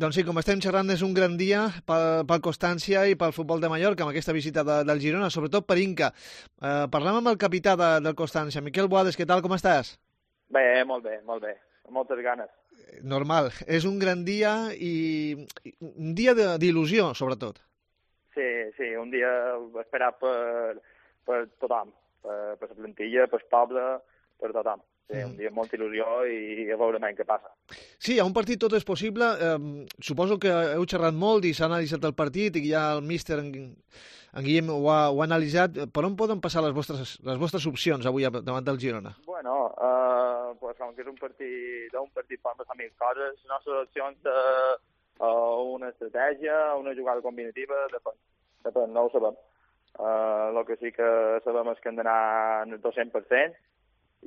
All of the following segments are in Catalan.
Doncs sí, com estem xerrant, és un gran dia pel Constància i pel futbol de Mallorca, amb aquesta visita del Girona, sobretot per Inca. Parlem amb el capità del Constància, Miquel Boades, què tal, com estàs? Bé, molt bé, amb moltes ganes. Normal, és un gran dia i un dia d'il·lusió, sobretot. Sí, un dia esperat per tothom, per la plantilla, pel poble, per tothom. Sí, un dia amb molta il·lusió i a veure què passa. Sí, a un partit tot és possible. Suposo que heu xerrat molt i s'ha analitzat el partit i ja el míster, en Guillem, ho ha analitzat. Per on poden passar les vostres opcions avui davant del Girona? Bueno, pues, com que és un partit poden passar mil coses. Les nostres opcions, una estratègia, una jugada combinativa, depèn, no ho sabem. El que sí que sabem és que hem d'anar al 200%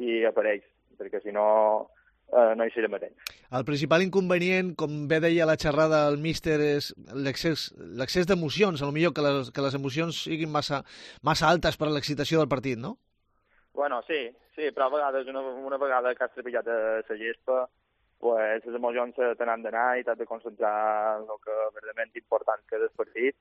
i aparells, perquè si no no hi serem a temps. El principal inconvenient, com bé deia la xerrada del míster, és l'excés d'emocions, potser que les emocions siguin massa altes per a l'excitació del partit, no? Bueno, sí, però a vegades, una vegada que has trepitjat a la gespa, pues, les emocions te n'han d'anar i t'has de concentrar en el que verdaderament important que és el partit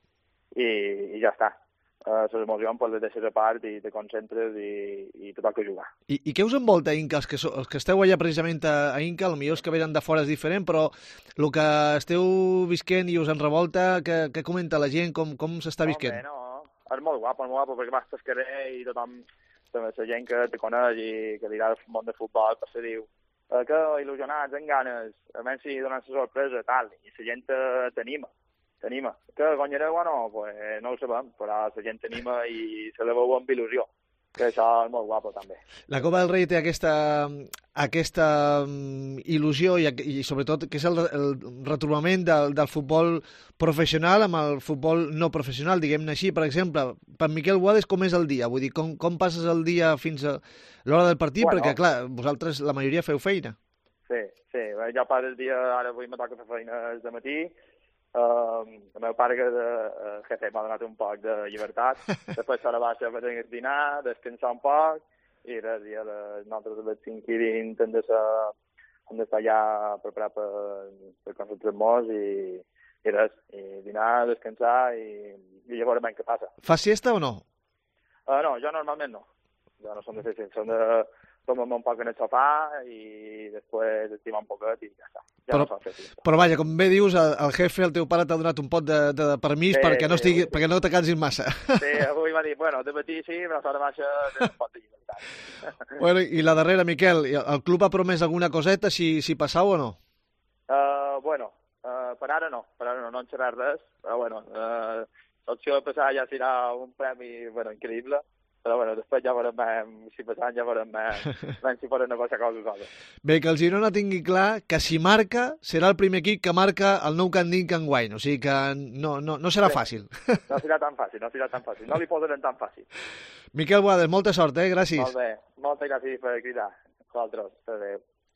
i ja està. Les emocions les deixes a part i te concentres i te toca jugar. I què us envolta, Inca? Els que esteu allà precisament a Inca, potser els que venen de fora és diferent, però el que esteu visquent i us en revolta, què comenta la gent, com s'està visquent? No, és molt guapo, perquè vas pel carrer i tothom, la gent que te coneix i que dirà el món de futbol, se diu que il·lusionats, amb ganes, a menys si donen la sorpresa, tal, i la gent t'anima. Que guanyareu o no? Pues no ho sabem, però la gent t'anima i se la veu amb il·lusió, que això és molt guapo també. La Copa del Rei té aquesta il·lusió i sobretot que és el retrobament del futbol professional amb el futbol no professional, diguem-ne així. Per exemple, per Miquel Boades, com és el dia? Vull dir, com passes el dia fins a l'hora del partit? Bueno, perquè, clar, vosaltres la majoria feu feina. Sí, jo per el dia, ara avui me toca fer feina de matí. El meu pare, que és jefe, m'ha donat un poc de llibertat. Després serà baixa per dinar, descansar un poc, i res, nosaltres a les 5:20 hem d'estar ja preparats per concentrar-nos i res, i dinar, descansar i ja veurem què passa. Fas siesta o no? No, jo normalment no. Jo no som de fer siesta, som de tomar un poc en el sofà i després estimar un poquet i ja està. Però vaja, com bé dius, el jefe, el teu pare, t'ha donat un pot de permís perquè no te cansis massa. Sí, avui m'ha dit, bueno, de matí sí, però a l'hora baixa un pot de llibertat. Bueno, i la darrera, Miquel, el club ha promès alguna coseta si passau o no? Bueno, per ara no hem xerrat res, però bueno, l'opció de passar ja serà un premi, bueno, increïble. Però bueno, després ja veurem, si passant ja veurem si poden negociar cosa. Bé, que el Girona tingui clar que si marca, serà el primer equip que marca el Nou Camp d'Inca enguany, o sigui que no serà fàcil. No serà tan fàcil, no li posaran tan fàcil. Miquel Boades, molta sort, gràcies. Molt bé, moltes gràcies per cridar. Vosaltres, adéu.